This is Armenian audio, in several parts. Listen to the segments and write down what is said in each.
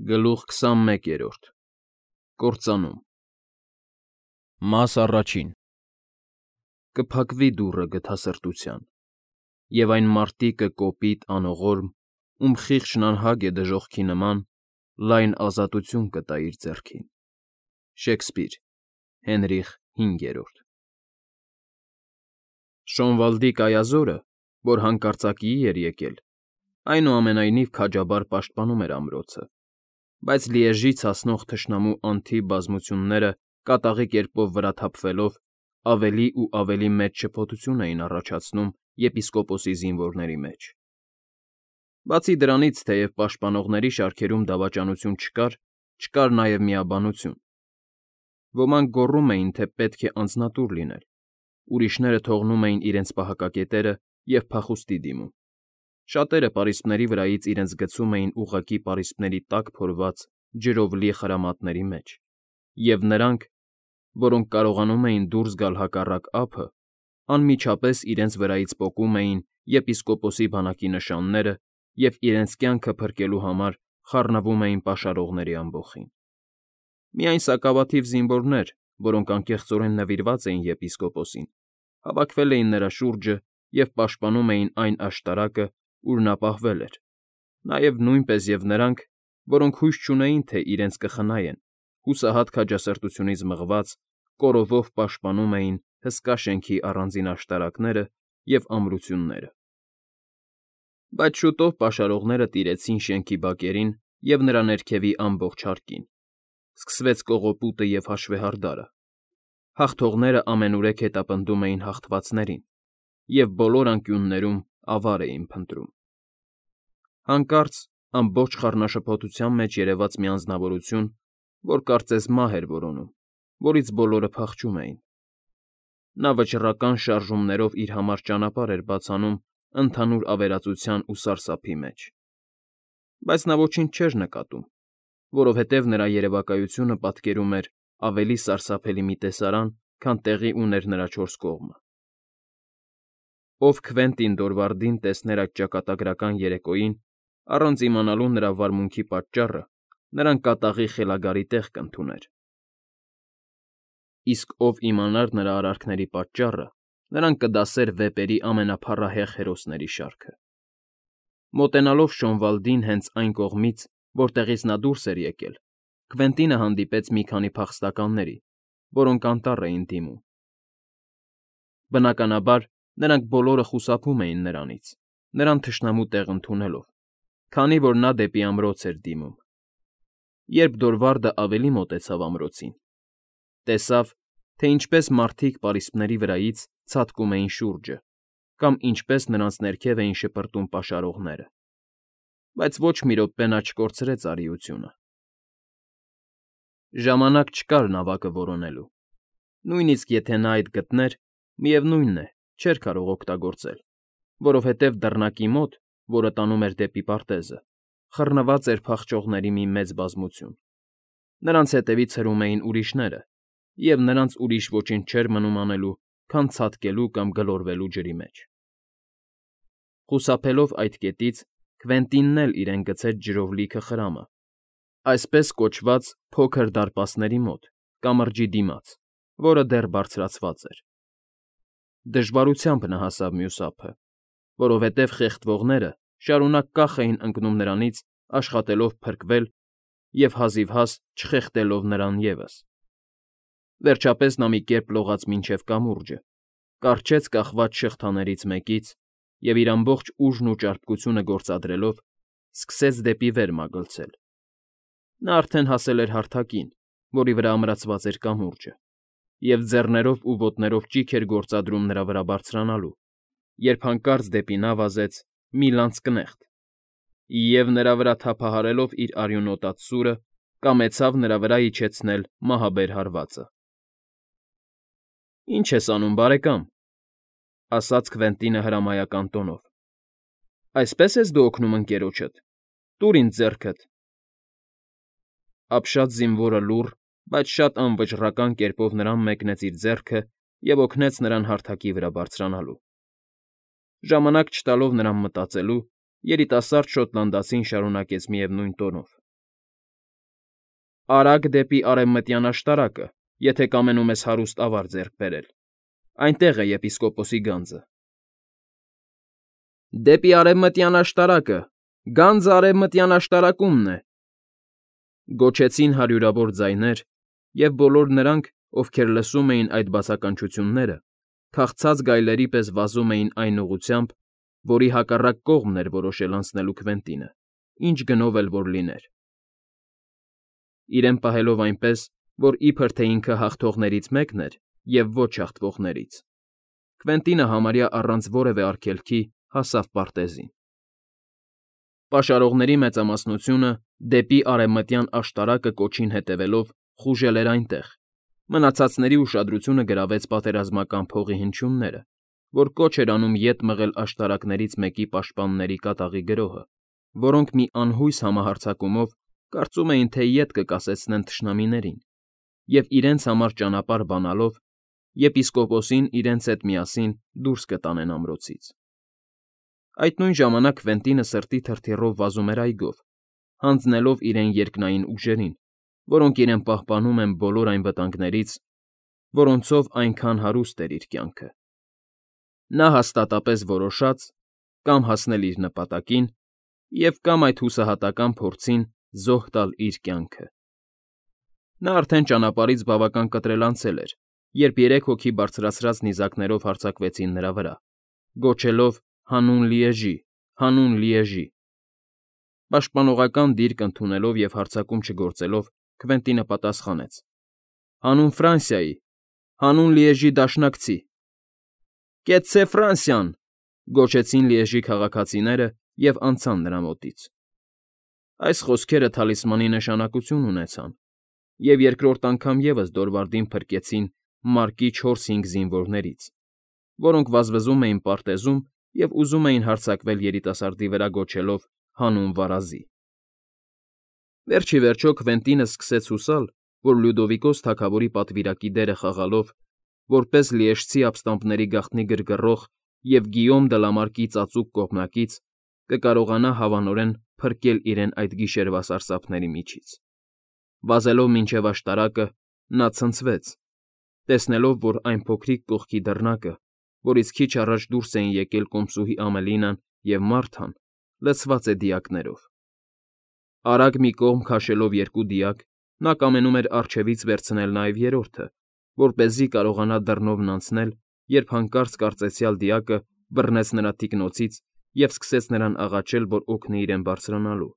Գլուխ 21 Կործանում Մաս առաջին Կփակվի դուռը գթասրտության, և այն մարտիկը կոպիտ, անողորմ, ում խիղճն անհագ է դժոխքի նման, լայն ազատություն կտա իր ձեռքին։ Շեքսպիր, Հենրիխ V Շոնվալդի կայազորը, որ հանկարծակիի էր եկել, այնուամենայնիվ քաջաբար պաշտպանում էր ամրոցը, բայց Լիեժից հասնող թշնամու անթիվ բազմությունները կատաղի կերպով վրա թափվելով ավելի ու ավելի մեծ շփոթություն էին առաջացնում եպիսկոպոսի զինվորների մեջ։ Բացի դրանից, թեև պաշտպանողների շարքերում դավաճանություն չկար նաև միաբանություն։ Ոմանք գոռում էին, թե պետք է անձնատուր լինել, ուրիշները թողնում էին իրենց պահակակետերը և փախուստի դիմում։ Շատերը պարիսպների վրայից իրենց գցում էին ուղղակի պարիսպների տակ փորված ջրով լի խրամատների մեջ, և նրանք, որոնք կարողանում էին դուրս գալ հակառակ ափը, անմիջապես իրենց վրայից պոկում էին եպիսկոպոսի բանակի նշանները և իրենց կյանքը փրկելու համար խառնվում էին պաշարողների ամբոխին։ Միայն սակավաթիվ զինվորներ, որոնք անկեղծորեն նվիրված էին եպիսկոպոսին, հավաքվել էին նրա շուրջը և պաշտպանում էին այն աշտարակը, ուր նա պահվել էր, նաև նույնպես և նրանք, որոնք հույս չունեին, թե իրենց կխնայեն, հուսահատ քաջասրտությունից մղված, կորովով պաշտպանում էին հսկա շենքի առանձին աշտարակները և ամրությունները։ Բայց շուտով պաշարողները տիրեցին շենքի բակերին և նրա ներքևի ամբողջ հարկին։ Սկսվեց կողոպուտը և հաշվեհարդարը։ Հաղթողները ամենուրեք հետապնդում էին հաղթվածներին և բոլոր անկյուններում ավար էին փնտրում։ Հանկարծ ամբողջ խառնաշփոթության մեջ երևաց մի անձնավորություն, որ կարծես մահ էր որոնում, որից բոլորը փախչում էին։ Նա վճռական շարժումներով իր համար ճանապարհ էր բացանում ընդհանուր ավերածության ու սարսափի մեջ։ Բայց նա ոչինչ չէր նկատում, որովհետև նրա երևակայությունը պատկերում էր ավելի սարսափելի մի տեսարան, քան տեղի ուներ նրա չորս կողմը։ Ով Քվենտին Դորվարդին տեսներ այդ ճակատագրական երեկոյին, առանց իմանալու նրա վարմունքի պատճառը, նրան կատաղի խելագարի տեղ կընդուներ։ Իսկ ով իմանար նրա արարքների պատճառը, նրան կդասեր վեպերի ամենափառահեղ հերոսների շարքը։ Մոտենալով Շոնվալդին հենց այն կողմից, որտեղից նա դուրս էր եկել, Քվենտինը հանդիպեց մի քանի փախստականների, որոնք անտառ էին դիմում։ Բնականաբար, նրանք բոլորը խուսափում էին նրանից, նրան թշնամու տեղ ընդունելով, քանի որ նա դեպի ամրոց էր դիմում։ Երբ Դորվարդը ավելի մոտեցավ ամրոցին, տեսավ, թե ինչպես մարդիկ պարիսպների վրայից ցատկում էին շուրջը կամ ինչպես նրանց ներքև էին շպրտում պաշարողները։ Բայց ոչ մի րոպե նա չկորցրեց արիությունը։ Ժամանակ չկար նավակը որոնելու։ Նույնիսկ եթե նա այդ գտներ, միևնույն է, չէր կարող օգտագործել, որովհետև դռնակի մոտ, որը տանում էր դեպի պարտեզը, խռնված էր փախչողների մի մեծ բազմություն։ Նրանց հետևից հրում էին ուրիշները, և նրանց ուրիշ ոչինչ չէր մնում անելու, քան ցատկելու կամ գլորվելու ջրի մեջ։ Խուսափելով այդ կետից, Քվենտինն էլ իրեն գցեց ջրով լիքը խրամը, այսպես կոչված փոքր դարպասների մոտ, կամրջի դիմաց, որը դեռ բարձրացված էր։ Դժվարությամբ նա հասավ մյուս ափը, որովհետև խեղդվողները շարունակ կախ էին ընկնում նրանից, աշխատելով փրկվել և հազիվհազ չխեղդելով նրան ևս։ Վերջապես նա մի կերպ լողաց մինչև կամուրջը, կառչեց կախված շղթաներից մեկից և իր ամբողջ ուժն ու ճարպկությունը գործադրելով սկսեց դեպի վեր մագլցել։ Նա արդեն հասել էր հարթակին, որի վրա ամրացված էր կամուրջը, և ձեռներով ու ոտներով ճիգ էր գործադրում նրա վրա բարձրանալու, երբ հանկարծ դեպի նա վազեց մի լանցկնեղտ և, նրա վրա թափահարելով իր արյունոտած սուրը, կամեցավ նրա վրա իջեցնել մահաբեր հարվածը։ ֊ Ի՞նչ ես անում, բարեկամ,֊ ասաց Քվենտինը հրամայական տոնով։ ֊ Այսպե՞ս ես դու օգնում ընկերոջդ… Տուր ինձ ձեռքդ… Ապշած զինվորը լուռ, բայց շատ անվճռական կերպով նրան մեկնեց իր ձեռքը և օգնեց նրան հարթակի վրա բարձրանալու։ Ժամանակ չտալով նրան մտածելու, երիտասարդ շոտլանդացին շարունակեց միևնույն տոնով. Արագ դեպի արևմտյան աշտարակը, եթե կամենում ես հարուստ ավար ձեռք բերել. այնտեղ է եպիսկոպոսի գանձը։ Դեպի արևմտյան աշտարակը, գանձը արևմտյան աշտարակումն է, գոչեցին հարյուրավոր ձայներ, և բոլոր նրանք, ովքեր լսում էին այդ բացականչությունները, քաղցած գայլերի պես վազում էին այն ուղղությամբ, որի հակառակ կողմն էր որոշել անցնելու Քվենտինը, ինչ գնով էլ որ լիներ։ Իրեն պահելով այնպես, որ իբր թե ինքը հաղթողներից մեկն էր և ոչ հաղթվողներից, Քվենտինը համարյա առանց որևէ արգելքի հասավ պարտեզին։ Պաշարողների մեծամասնությունը դեպի արևմտյան աշտարակը կոչին հետևելով խուժել էր այնտեղ, մնացածների ուշադրությունը գրավեց պատերազմական փողի հնչյունները, որ կոչ էր անում ետ մղել աշտարակներից մեկի պաշտպանների կատաղի գրոհը, որոնք մի անհույս համահարձակումով կարծում էին, թե ետ կկասեցնեն թշնամիներին, և իրենց համար ճանապարհ բանալով, եպիսկոպոսին իրենց հետ միասին դուրս կտանեն ամրոցից։ Այդ նույն ժամանակ Քվենտինը սրտի թրթիռով վազում էր այգով, հանձնելով իրեն երկնային ուժերին, որոնք իրեն պահպանում են բոլոր այն վտանգներից, որոնցով այնքան հարուստ էր իր կյանքը։ Նա հաստատապես որոշած կամ հասնել իր նպատակին և կամ այդ հուսահատական փորձին զոհ տալ իր կյանքը։ Նա արդեն ճանապարհից բավական կտրել անցել էր, երբ երեք հոգի բարձրացրած նիզակներով հարձակվեցին նրա վրա, գոչելով. «Հանուն Լիեժի, հանուն Լիեժի»։ Պաշտպանողական դիրք ընդունելով և հարձակում չգործելով, Քվենտինը պատասխանեց. «Հանուն Ֆրանսիայի, հանուն Լիեժի դաշնակցի»։ «Կեցցե Ֆրանսիան», գոչեցին Լիեժի քաղաքացիները և անցան նրա մոտից։ Այս խոսքերը թալիսմանի նշանակություն ունեցան, և երկրորդ անգամ ևս Դորվարդին փրկեցին մարկի 4-5 զինվորներից, որոնք վազվզում էին պարտեզում և ուզում էին հարձակվել երիտասարդի վրա գոչելով. «Հանուն վարազի»։ Վերջ ի վերջո Քվենտինը սկսեց հուսալ, որ Լյուդովիկոս թագավորի պատվիրակի դերը խաղալով, որպես լիեժցի ապստամբների գաղտնի գրգռող և Գիյոմ դը Լա Մարկի ծածուկ կողմնակից, կկարողանա հավանորեն փրկել իրեն այդ գիշերվա սարսափների միջից։ Վազելով մինչև աշտարակը, նա ցնցվեց, տեսնելով, որ այն փոքրիկ կողքի դռնակը, որից քիչ առաջ դուրս էին եկել կոմսուհի Ամելինան և Մարթան, լցված է դիակներով։ Արագ մի կողմ քաշելով երկու դիակ, նա կամենում էր առջևից վերցնել նաև երրորդը, որպեսզի կարողանա դռնովն անցնել, երբ հանկարծ կարծեցյալ դիակը բռնեց նրա թիկնոցից և սկսեց նրան աղաչել, որ օգնի իրեն բարձրանալու։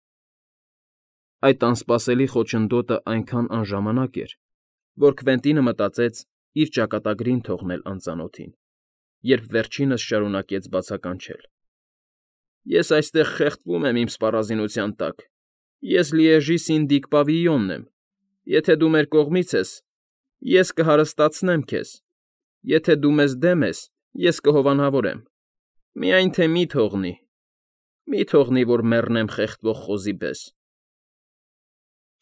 Այդ անսպասելի խոչընդոտը այնքան անժամանակ էր, որ Քվենտինը մտածեց իր ճակատագրին թողնել անծանոթին, երբ վերջինս շարունակեց բացականչել. «Ես այստեղ խեղդվում եմ իմ սպառազինության տակ։ Ես Լիեժի սինդիկ Պավիյոնն եմ։ Եթե դու մեր կողմից ես, ես կհարստացնեմ քեզ, եթե դու մեզ դեմ ես, ես կհովանավորեմ։ Միայն թե մի թողնի, որ մեռնեմ խեղդվող խոզի պես»։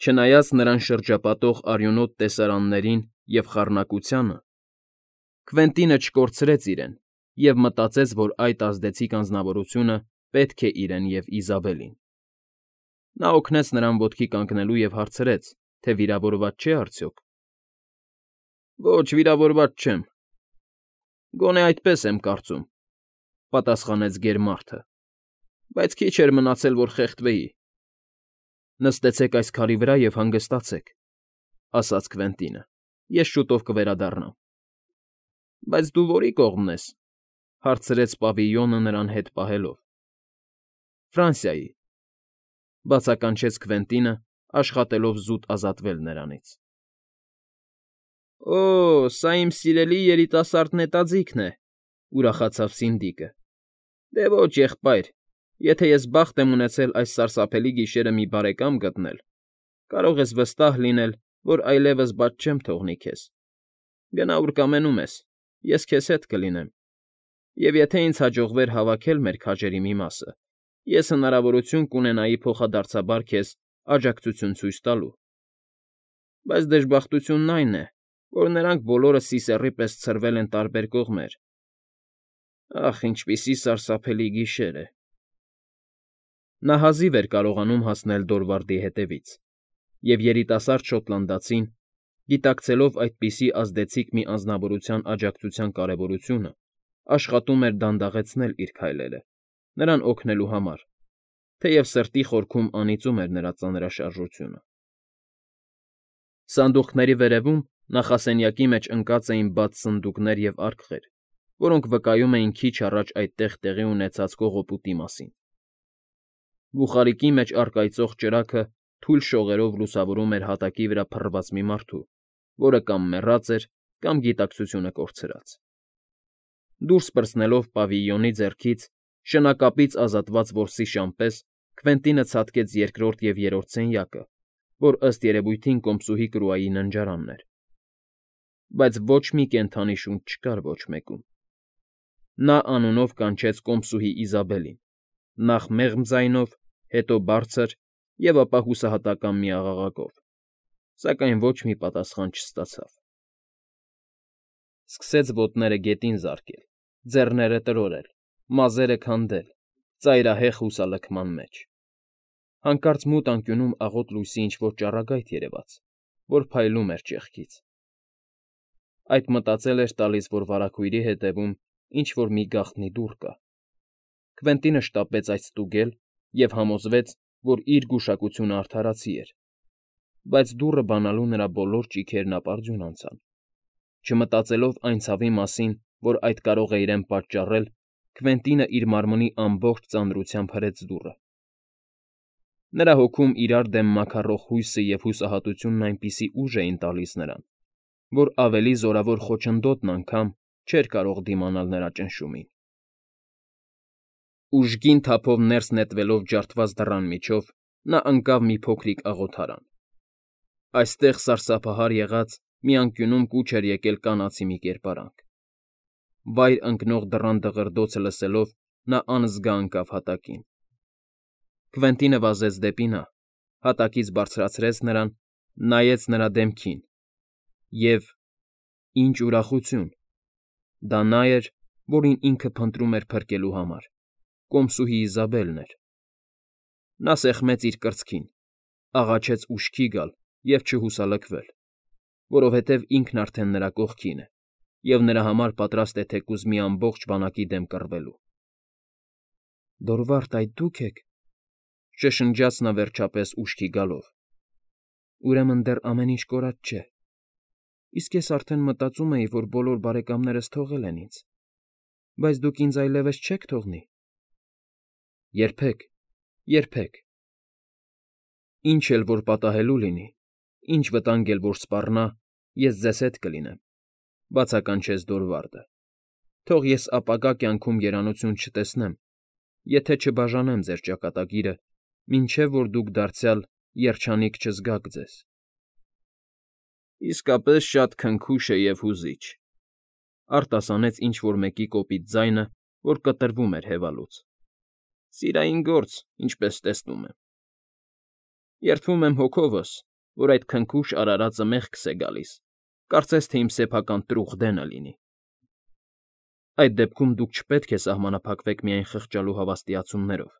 Չնայած նրան շրջապատող արյունոտ տեսարաններին և խառնակությանը, Քվենտինը չկորցրեց իրեն և մտածեց, որ այդ ազդեցիկ անձնավորությունը պետք է իրեն և Իզաբելին։ Նա օգնեց նրան ոտքի կանգնելու և հարցրեց, թե վիրավորված չէ՞ արդյոք։ «Ոչ, վիրավորված չեմ»։ «Գոնե այդպես եմ կարծում», ֊ պատասխանեց գերմարդը, «բայց քիչ էր մնացել, որ խեղդվեի»։ «Նստեցեք այս քարի վրա և հանգստացեք», ֊ ասաց Քվենտինը, «ես շուտով կվերադառնամ»։ «Բայց դու որի՞ կողմն ես», ֊ հարցրեց Պավիյոնը նրան հետ պահելով։ «Ֆրանսիայի», ֊ բացականչեց Քվենտինը, աշխատելով զուտ ազատվել նրանից։ «Օ, սա իմ սիրելի երիտասարդ նետաձիգն է», ֊ ուրախացավ Սինդիկը։ «Դե ոչ, եղբայր, եթե ես բախտ եմ ունեցել այս սարսափելի գիշերը մի բարեկամ գտնել, կարող ես վստահ լինել, որ այլևս բաց չեմ թողնի քեզ։ Գնա ուր կամենում ես, ես քեզ հետ կլինեմ, և եթե ինձ հաջողվեր հավաքել մեր քաջերի մի մասը, ես հնարավորություն կունենայի փոխադարձաբար քեզ աջակցություն ցույց տալու։ Բայց դժբախտությունն այն է, որ նրանք բոլորը սիսեռի պես ցրվել են տարբեր կողմեր։ Ախ, ինչպիսի սարսափելի գիշեր է»։ Նա հազիվ էր կարողանում հասնել Դորվարդի հետևից, և երիտասարդ շոտլանդացին, գիտակցելով այդպիսի ազդեցիկ մի անձնավորության աջակցության կարևորությունը, աշխատում էր դանդաղեցնել իր քայլերը, նրան օգնելու համար, թեև սրտի խորքում անիծում էր նրա ծանրաշարժությունը։ Սանդուղքների վերևում նախասենյակի մեջ ընկած էին բաց սնդուկներ և արկղեր, որոնք վկայում էին քիչ առաջ այդտեղ տեղի ունեցած կողոպուտի մասին։ Բուխարիկի մեջ առկայծող ճրագը թույլ շողերով լուսավորում էր հատակի վրա փռված մի մարդու, որը կամ մեռած էր, կամ գիտակցությունը կորցրած։ Դուրս պրծնելով պավիլյոնի ձեռքից, շնակապից ազատված որսի շան պես Քվենտինը ցատկեց երկրորդ և երրորդ սենյակը, որ ըստ երևույթին կոմսուհի Կրուայի ննջարանն էր։ Բայց ոչ մի կենդանի շունչ չկար ոչ մեկում։ Նա անունով կանչեց կոմսուհի Իզաբելին, նախ մեղմ ձայնով, հետո բարձր և ապա հուսահատական մի աղաղակով, սակայն ոչ մի պատասխան չստացավ։ Սկսեց ոտները գետին զարկել, ձեռները տրորել, մազերը քանդել, ծայրահեղ հուսալքման մեջ։ Հանկարծ մութ անկյունում աղոտ լույսի ինչ֊որ ճառագայթ երևաց, որ փայլում էր ճեղքից։ Այդ մտածել էր տալիս, որ վարագույրի հետևում ինչ֊որ մի գաղտնի դուռ կա։ Քվենտինը շտապեց այդ ստուգել և համոզվեց, որ իր գուշակությունը արդարացի էր, բայց դուռը բանալու նրա բոլոր ճիգերն ապարդյուն անցան։ Չմտածելով այն ցավի մասին, որ այդ կարող է իրեն պատճառել, Քվենտինը իր մարմնի ամբողջ ծանրությամբ հրեց դուռը։ Նրա հոգում իրար դեմ մաքարող հույսը և հուսահատությունն այնպիսի ուժ էին տալիս նրան, որ ավելի զորավոր խոչընդոտն անգամ չէր կարող դիմանալ նրա ճնշումին։ Ուժգին թափով ներս նետվելով ջարդված դռան միջով, նա ընկավ մի փոքրիկ աղոթարան։ Այստեղ սարսափահար եղած մի անկյունում կուչ էր եկել կանացի մի կերպարանք։ Վայր ընկնող դռան դղրդոցը լսելով՝ նա անզգա ընկավ հատակին։ Քվենտինը վազեց դեպի նա, հատակից բարձրացրեց նրան, նայեց նրա դեմքին և… ինչ ուրախություն… Դա նա էր, որին ինքը փնտրում էր փրկելու համար, կոմսուհի Իզաբելն էր։ Նա սեղմեց իր կրծքին, աղաչեց ուշքի գալ և չհուսալքվել, որովհետև ինքն արդեն նրա կողքին է և նրա համար պատրաստ է թեկուզ մի ամբողջ բանակի դեմ կռվելու։ Դորվարդ, այդ դու՞ք եք,֊ շշնջաց նա վերջապես ուշքի գալով։ Ուրեմն դեռ ամեն ինչ կորած չէ։ Իսկ ես արդեն մտածում էի, որ բոլոր բարեկամներս թողել են ինձ, բայց դուք ինձ այլևս չեք թողնի։ Երբեք, երբեք։ Ինչ էլ որ պատահելու լինի, ինչ վտանգ էլ որ սպառնա, ես ձեզ հետ կլինեմ,֊ բացականչեց Դորվարդը։ Թող ես ապագա կյանքում երանություն չտեսնեմ, եթե չբաժանեմ ձեր ճակատագիրը, մինչև որ դուք դարձյալ երջանիկ չզգաք ձեզ։ Իսկապես շատ քնքուշ է և հուզիչ,֊ արտասանեց ինչ֊որ մեկի կոպիտ ձայնը, որ կտրվում էր հևալուց։ Սիրային գործ, ինչպես տեսնում եմ։ Երդվում եմ հոգովս, որ այդ քնքուշ արարածը մեղքս է գալիս, կարծես թե իմ սեփական տրուխ դենը լինի։ Այդ դեպքում դուք չպետք է սահմանափակվեք միայն խղճալու հավատացումներով,֊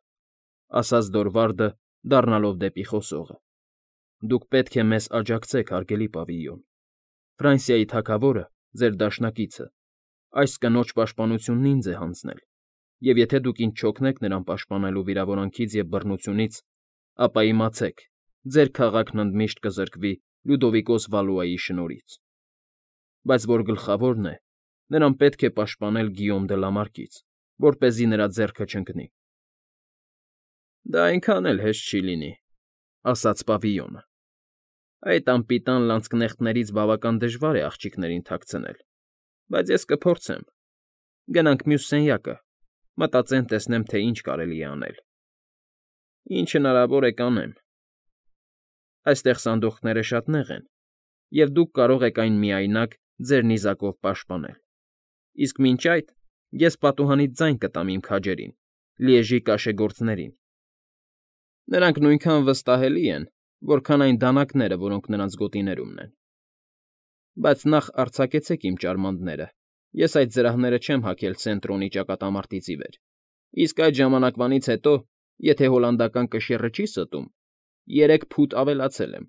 ասաց Դորվարդը, դառնալով դեպի խոսողը։ Դուք պետք է մեզ աջակցեք, հարգելի պավիլյոն։ Ֆրանսիայի թագավորը, ձեր դաշնակիցը, այս կնոջ պաշտպանությունն ինձ է հանձնել, և եթե դուք ինձ չօգնեք նրան պաշտպանելու վիրավորանքից և բռնությունից, ապա իմացեք, ձեր քաղաքն ընդմիշտ կզրկվի Լյուդովիկոս Վալուայի շնորհից։ Բայց որ գլխավորն է, նրան պետք է պաշտպանել Գիյոմ դը Լամարկից, որպեսզի նրա ձեռքը չընկնի։ Դա այնքան էլ հեշտ չի լինի,֊ ասաց պավիլյոնը։ Այդ անպիտան լանցկնեխտներից բավական դժվար է աղջիկներին թաքցնել, բայց ես կփորձեմ։ Գնանք մյուս սենյակը, մտածեմ տեսնեմ, թե ինչ կարելի է անել։ Ինչ հնարավոր է կանեմ։ Այստեղ սանդուղքները շատ նեղ են, և դուք կարող եք այն միայնակ ձեր նիզակով պաշտպանել։ Իսկ մինչ այդ ես պատուհանից ձայն կտամ իմ քաջերին, Լիեժի կաշեգործներին։ Նրանք նույնքան վստահելի են, որքան այն դանակները, որոնք նրանց գոտիներումն են։ Բայց նախ արձակեցեք իմ ճարմանտները, ես այդ զրահները չեմ հագել Սենտրոնի ճակատամարտից ի վեր, իսկ այդ ժամանակվանից հետո, եթե հոլանդական կշիռը չի ստում, 3 ֆուտ ավելացել եմ։